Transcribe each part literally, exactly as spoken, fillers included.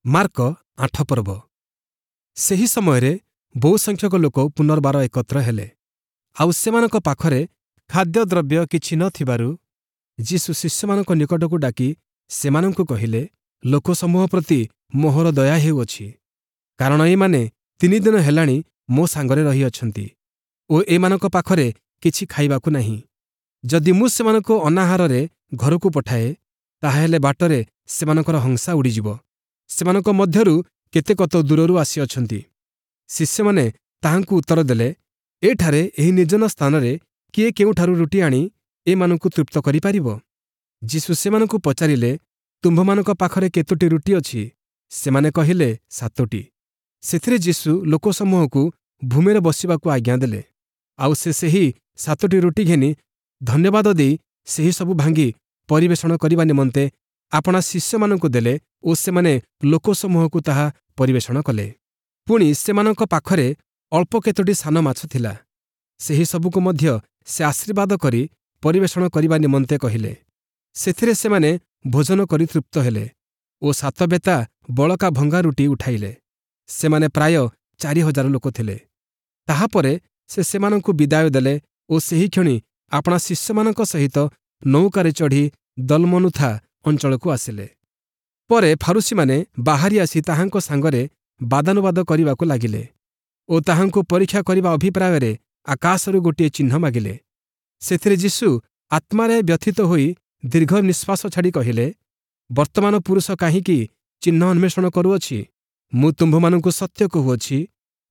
Mark ଆଠ ପର୍ବ ସେହି ସମୟରେ ବହୁ ସଂଖ୍ୟକ ଲୋକ ପୁନର୍ବାର ଏକତ୍ର ହେଲେ ଆଉ ସେମାନଙ୍କ ପାଖରେ ଖାଦ୍ୟଦ୍ରବ୍ୟ କିଛି ନ ଥିବାରୁ ଯୀଶୁ ଶିଷ୍ୟମାନଙ୍କ ନିକଟକୁ ଡାକି ସେମାନଙ୍କୁ କହିଲେ ଲୋକସମୂହ ପ୍ରତି ମୋହର ଦୟା ହେଉଅଛି କାରଣ ଏମାନେ ତିନି ଦିନ ହେଲାଣି ମୋ ସାଙ୍ଗରେ ରହିଅଛନ୍ତି ଓ ଏମାନଙ୍କ ପାଖରେ କିଛି ଖାଇବାକୁ ନାହିଁ ଯଦି ମୁଁ ସେମାନଙ୍କୁ ଅନାହାରରେ ଘରକୁ ପଠାଏ ତାହାହେଲେ ବାଟରେ ସେମାନଙ୍କର ହଂସା ଉଡ଼ିଯିବ ସେମାନଙ୍କ ମଧ୍ୟରୁ କେତେକ ତ ଦୂରରୁ ଆସିଅଛନ୍ତି ଶିଷ୍ୟମାନେ ତାହାଙ୍କୁ ଉତ୍ତର ଦେଲେ ଏଠାରେ ଏହି ନିର୍ଜନ ସ୍ଥାନରେ କିଏ କେଉଁଠାରୁ ରୁଟି ଆଣି ଏମାନଙ୍କୁ ତୃପ୍ତ କରିପାରିବ ଯୀଶୁ ସେମାନଙ୍କୁ ପଚାରିଲେ ତୁମ୍ଭମାନଙ୍କ ପାଖରେ କେତୋଟି ରୁଟି ଅଛି ସେମାନେ କହିଲେ ସାତୋଟି ସେଥିରେ ଯୀଶୁ ଲୋକସମୂହକୁ ଭୂମିରେ ବସିବାକୁ ଆଜ୍ଞା ଦେଲେ ଆଉ ସେ ସେହି ସାତୋଟି ରୁଟି ଘେନି ଧନ୍ୟବାଦ ଦେଇ ସେହି ସବୁ ଭାଙ୍ଗି ପରିବେଷଣ କରିବା ନିମନ୍ତେ ଆପଣା ଶିଷ୍ୟମାନଙ୍କୁ ଦେଲେ ଓ ସେମାନେ ଲୋକସମୂହକୁ ତାହା ପରିବେଷଣ କଲେ ପୁଣି ସେମାନଙ୍କ ପାଖରେ ଅଳ୍ପ କେତୋଟି ସାନ ମାଛ ଥିଲା ସେହି ସବୁକୁ ମଧ୍ୟ ସେ ଆଶୀର୍ବାଦ କରି ପରିବେଷଣ କରିବା ନିମନ୍ତେ କହିଲେ ସେଥିରେ ସେମାନେ ଭୋଜନ କରି ତୃପ୍ତ ହେଲେ ଓ ସାତ ବେତା ବଳକା ଭଙ୍ଗା ରୁଟି ଉଠାଇଲେ ସେମାନେ ପ୍ରାୟ ଚାରି ହଜାର ଲୋକ ଥିଲେ ତାହାପରେ ସେ ସେମାନଙ୍କୁ ବିଦାୟ ଦେଲେ ଓ ସେହିକ୍ଷଣି ଆପଣା ଶିଷ୍ୟମାନଙ୍କ ସହିତ ନୌକାରେ ଚଢ଼ି ଦଲମନୁଥା ଅଞ୍ଚଳକୁ ଆସିଲେ ପରେ ଫାରୂଶୀମାନେ ବାହାରି ଆସି ତାହାଙ୍କ ସାଙ୍ଗରେ ବାଦାନୁବାଦ କରିବାକୁ ଲାଗିଲେ ଓ ତାହାଙ୍କୁ ପରୀକ୍ଷା କରିବା ଅଭିପ୍ରାୟରେ ଆକାଶରୁ ଗୋଟିଏ ଚିହ୍ନ ମାଗିଲେ ସେଥିରେ ଯୀଶୁ ଆତ୍ମାରେ ବ୍ୟଥିତ ହୋଇ ଦୀର୍ଘ ନିଶ୍ୱାସ ଛାଡ଼ି କହିଲେ ବର୍ତ୍ତମାନ ପୁରୁଷ କାହିଁକି ଚିହ୍ନ ଅନ୍ୱେଷଣ କରୁଅଛି ମୁଁ ତୁମ୍ଭମାନଙ୍କୁ ସତ୍ୟ କହୁଅଛି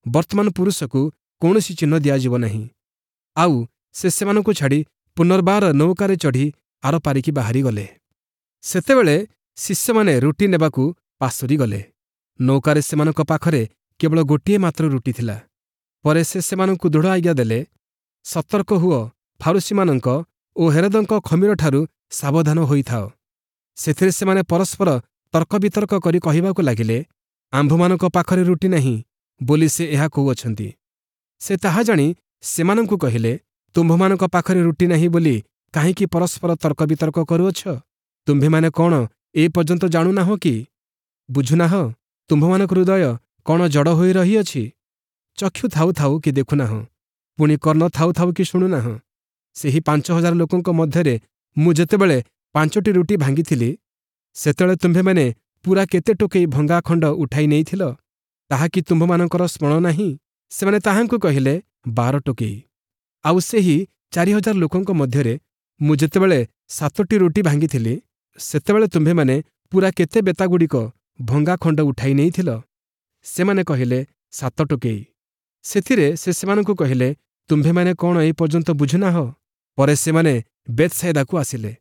ବର୍ତ୍ତମାନ ପୁରୁଷକୁ କୌଣସି ଚିହ୍ନ ଦିଆଯିବ ନାହିଁ ଆଉ ସେ ସେମାନଙ୍କୁ ଛାଡ଼ି ପୁନର୍ବାର ନୌକାରେ ଚଢ଼ି ଆରପାରିକି ବାହାରିଗଲେ ସେତେବେଳେ ଶିଷ୍ୟମାନେ ରୁଟି ନେବାକୁ ପାସୋରି ଗଲେ ନୌକାରେ ସେମାନଙ୍କ ପାଖରେ କେବଳ ଗୋଟିଏ ମାତ୍ର ରୁଟି ଥିଲା ପରେ ସେ ସେମାନଙ୍କୁ ଦୃଢ଼ ଆଜ୍ଞା ଦେଲେ ସତର୍କ ହୁଅ ଫାରୂଶୀମାନଙ୍କ ଓ ହେରୋଦଙ୍କ ଖମୀରଠାରୁ ସାବଧାନ ହୋଇଥାଅ ସେଥିରେ ସେମାନେ ପରସ୍ପର ତର୍କବିତର୍କ କରି କହିବାକୁ ଲାଗିଲେ ଆମ୍ଭମାନଙ୍କ ପାଖରେ ରୁଟି ନାହିଁ ବୋଲି ସେ ଏହା କହୁଅଛନ୍ତି ସେ ତାହା ଜାଣି ସେମାନଙ୍କୁ କହିଲେ ତୁମ୍ଭମାନଙ୍କ ପାଖରେ ରୁଟି ନାହିଁ ବୋଲି କାହିଁକି ପରସ୍ପର ତର୍କବିତର୍କ କରୁଅଛ ତୁମ୍ଭେମାନେ କ'ଣ ଏ ପର୍ଯ୍ୟନ୍ତ ଜାଣୁନାହଁ କି ବୁଝୁନାହଁ ତୁମ୍ଭମାନଙ୍କ ହୃଦୟ କ'ଣ ଜଡ଼ ହୋଇ ରହିଅଛି ଚକ୍ଷୁ ଥାଉ ଥାଉ କି ଦେଖୁନାହଁ ପୁଣି କର୍ଣ୍ଣ ଥାଉ ଥାଉ କି ଶୁଣୁନାହଁ ସେହି ପାଞ୍ଚ ହଜାର ଲୋକଙ୍କ ମଧ୍ୟରେ ମୁଁ ଯେତେବେଳେ ପାଞ୍ଚଟି ରୁଟି ଭାଙ୍ଗିଥିଲି ସେତେବେଳେ ତୁମ୍ଭେମାନେ ପୂରା କେତେ ଟୋକେଇ ଭଙ୍ଗା ଖଣ୍ଡ ଉଠାଇ ନେଇଥିଲ ତାହା କି ତୁମ୍ଭମାନଙ୍କର ସ୍ମରଣ ନାହିଁ ସେମାନେ ତାହାଙ୍କୁ କହିଲେ ବାର ଟୋକେଇ ଆଉ ସେହି ଚାରି ହଜାର ଲୋକଙ୍କ ମଧ୍ୟରେ ମୁଁ ଯେତେବେଳେ ସାତୋଟି ରୁଟି ଭାଙ୍ଗିଥିଲି ସେତେବେଳେ ତୁମ୍ଭେମାନେ ପୂରା କେତେ ବେତାଗୁଡ଼ିକ ଭଙ୍ଗା ଖଣ୍ଡ ଉଠାଇ ନେଇଥିଲ ସେମାନେ କହିଲେ ସାତ ଟୋକେଇ ସେଥିରେ ସେ ସେମାନଙ୍କୁ କହିଲେ ତୁମ୍ଭେମାନେ କ'ଣ ଏ ପର୍ଯ୍ୟନ୍ତ ବୁଝୁନାହଁ ପରେ ସେମାନେ ବେଥ୍‌ସାଇଦାକୁ ଆସିଲେ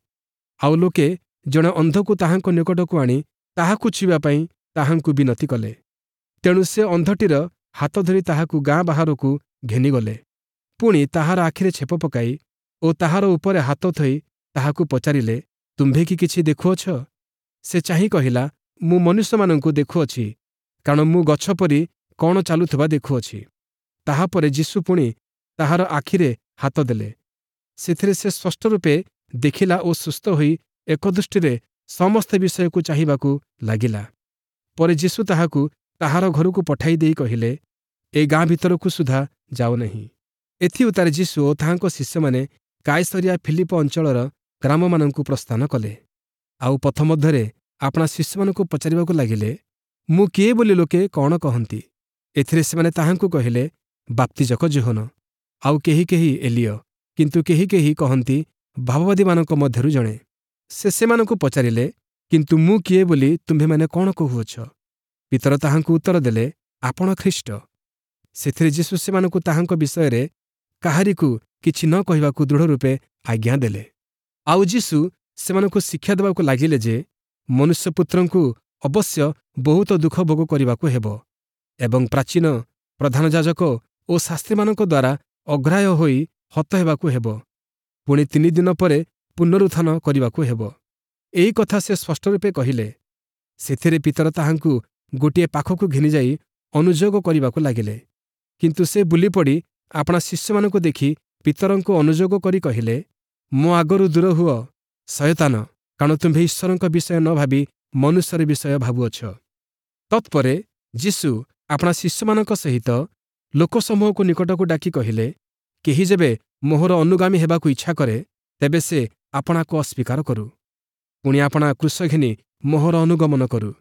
ଆଉ ଲୋକେ ଜଣେ ଅନ୍ଧକୁ ତାହାଙ୍କ ନିକଟକୁ ଆଣି ତାହାକୁ ଛୁଇଁବା ପାଇଁ ତାହାଙ୍କୁ ବିନତି କଲେ ତେଣୁ ସେ ଅନ୍ଧଟିର ହାତ ଧରି ତାହାକୁ ଗାଁ ବାହାରକୁ ଘେନିଗଲେ ପୁଣି ତାହାର ଆଖିରେ ଛେପ ପକାଇ ଓ ତାହାର ଉପରେ ହାତ ଥୋଇ ତାହାକୁ ପଚାରିଲେ ତୁମ୍ଭେ କି କିଛି ଦେଖୁଅଛ ସେ ଚାହିଁ କହିଲା ମୁଁ ମନୁଷ୍ୟମାନଙ୍କୁ ଦେଖୁଅଛି କାରଣ ମୁଁ ଗଛ ପରି କ'ଣ ଚାଲୁଥିବା ଦେଖୁଅଛି ତାହାପରେ ଯୀଶୁ ପୁଣି ତାହାର ଆଖିରେ ହାତ ଦେଲେ ସେଥିରେ ସେ ସ୍ପଷ୍ଟ ରୂପେ ଦେଖିଲା ଓ ସୁସ୍ଥ ହୋଇ ଏକଦୃଷ୍ଟିରେ ସମସ୍ତ ବିଷୟକୁ ଚାହିଁବାକୁ ଲାଗିଲା ପରେ ଯୀଶୁ ତାହାକୁ ତାହାର ଘରକୁ ପଠାଇ ଦେଇ କହିଲେ ଏ ଗାଁ ଭିତରକୁ ସୁଦ୍ଧା ଯାଅ ନାହିଁ ଏଥିଉତ୍ତାରେ ଯୀଶୁ ଓ ତାହାଙ୍କ ଶିଷ୍ୟମାନେ କାଇସରିଆ ଫିଲିପ ଅଞ୍ଚଳର ଗ୍ରାମମାନଙ୍କୁ ପ୍ରସ୍ଥାନ କଲେ ଆଉ ପଥ ମଧ୍ୟରେ ଆପଣା ଶିଷ୍ୟମାନଙ୍କୁ ପଚାରିବାକୁ ଲାଗିଲେ ମୁଁ କିଏ ବୋଲି ଲୋକେ କ'ଣ କହନ୍ତି ଏଥିରେ ସେମାନେ ତାହାଙ୍କୁ କହିଲେ ବାପ୍ତିଜକ ଯୋହନ ଆଉ କେହି କେହି ଏଲିୟ କିନ୍ତୁ କେହି କେହି କହନ୍ତି ଭାବବାଦୀମାନଙ୍କ ମଧ୍ୟରୁ ଜଣେ ସେ ସେମାନଙ୍କୁ ପଚାରିଲେ କିନ୍ତୁ ମୁଁ କିଏ ବୋଲି ତୁମ୍ଭେମାନେ କ'ଣ କହୁଅଛ ପିତର ତାହାଙ୍କୁ ଉତ୍ତର ଦେଲେ ଆପଣ ଖ୍ରୀଷ୍ଟ ସେଥିରେ ଯୀଶୁ ସେମାନଙ୍କୁ ତାହାଙ୍କ ବିଷୟରେ କାହାରିକୁ କିଛି ନ କହିବାକୁ ଦୃଢ଼ ରୂପେ ଆଜ୍ଞା ଦେଲେ ଆଉ ଯୀଶୁ ସେମାନଙ୍କୁ ଶିକ୍ଷା ଦେବାକୁ ଲାଗିଲେ ଯେ ମନୁଷ୍ୟପୁତ୍ରଙ୍କୁ ଅବଶ୍ୟ ବହୁତ ଦୁଃଖ ଭୋଗ କରିବାକୁ ହେବ ଏବଂ ପ୍ରାଚୀନ ପ୍ରଧାନ ଯାଜକ ଓ ଶାସ୍ତ୍ରୀମାନଙ୍କ ଦ୍ୱାରା ଅଗ୍ରାହ୍ୟ ହୋଇ ହତ ହେବାକୁ ହେବ ପୁଣି ତିନି ଦିନ ପରେ ପୁନରୁତ୍ଥାନ କରିବାକୁ ହେବ ଏହି କଥା ସେ ସ୍ପଷ୍ଟ ରୂପେ କହିଲେ ସେଥିରେ ପିତର ତାହାଙ୍କୁ ଗୋଟିଏ ପାଖକୁ ଘେନିଯାଇ ଅନୁଯୋଗ କରିବାକୁ ଲାଗିଲେ କିନ୍ତୁ ସେ ବୁଲିପଡ଼ି ଆପଣା ଶିଷ୍ୟମାନଙ୍କୁ ଦେଖି ପିତରଙ୍କୁ ଅନୁଯୋଗ କରି କହିଲେ ମୋ ଆଗରୁ ଦୂର ହୁଅ ଶୟତାନ କାରଣ ତୁମ୍ଭେ ଈଶ୍ୱରଙ୍କ ବିଷୟ ନ ଭାବି ମନୁଷ୍ୟର ବିଷୟ ଭାବୁଅଛ ତତ୍ପରେ ଯୀଶୁ ଆପଣା ଶିଷ୍ୟମାନଙ୍କ ସହିତ ଲୋକସମୂହକୁ ନିକଟକୁ ଡାକି କହିଲେ, କେହି ଯେବେ ମୋହର ଅନୁଗାମୀ ହେବାକୁ ଇଚ୍ଛା କରେ, ତେବେ ସେ ଆପଣାକୁ ଅସ୍ୱୀକାର କରୁ, ପୁଣି ଆପଣା କ୍ରୁଶ ଘେନି ମୋହର ଅନୁଗମନ କରୁ।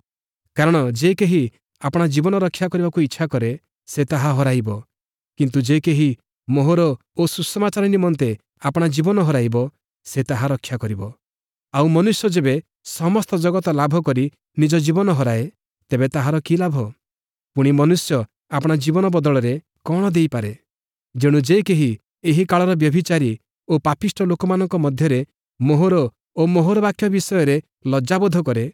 କାରଣ ଯେ କେହି ଆପଣା ଜୀବନ ରକ୍ଷା କରିବାକୁ ଇଚ୍ଛା କରେ, ସେ ତାହା ହରାଇବ, କିନ୍ତୁ ଯେ କେହି ମୋହର ଓ ସୁସମାଚାର ନିମନ୍ତେ ଆପଣା ଜୀବନ ହରାଇବ, ସେ ତାହା ରକ୍ଷା କରିବ। ଆଉ ମନୁଷ୍ୟ ଯେବେ ସମସ୍ତ ଜଗତ ଲାଭ କରି ନିଜ ଜୀବନ ହରାଏ, ତେବେ ତାହାର କି ଲାଭ? ପୁଣି ମନୁଷ୍ୟ ଆପଣା ଜୀବନ ବଦଳରେ କ'ଣ ଦେଇପାରେ? ଯେଣୁ ଯେ କେହି ଏହି କାଳର ବ୍ୟଭିଚାରୀ ଓ ପାପିଷ୍ଠ ଲୋକମାନଙ୍କ ମଧ୍ୟରେ ମୋହର ଓ ମୋହର ବାକ୍ୟ ବିଷୟରେ ଲଜ୍ଜାବୋଧ କରେ,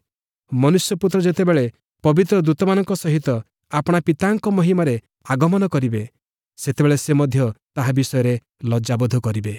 ମନୁଷ୍ୟପୁତ୍ର ଯେତେବେଳେ ପବିତ୍ର ଦୂତମାନଙ୍କ ସହିତ ଆପଣା ପିତାଙ୍କ ମହିମାରେ ଆଗମନ କରିବେ, ସେତେବେଳେ ସେ ମଧ୍ୟ ତାହା ବିଷୟରେ ଲଜ୍ଜାବୋଧ କରିବେ।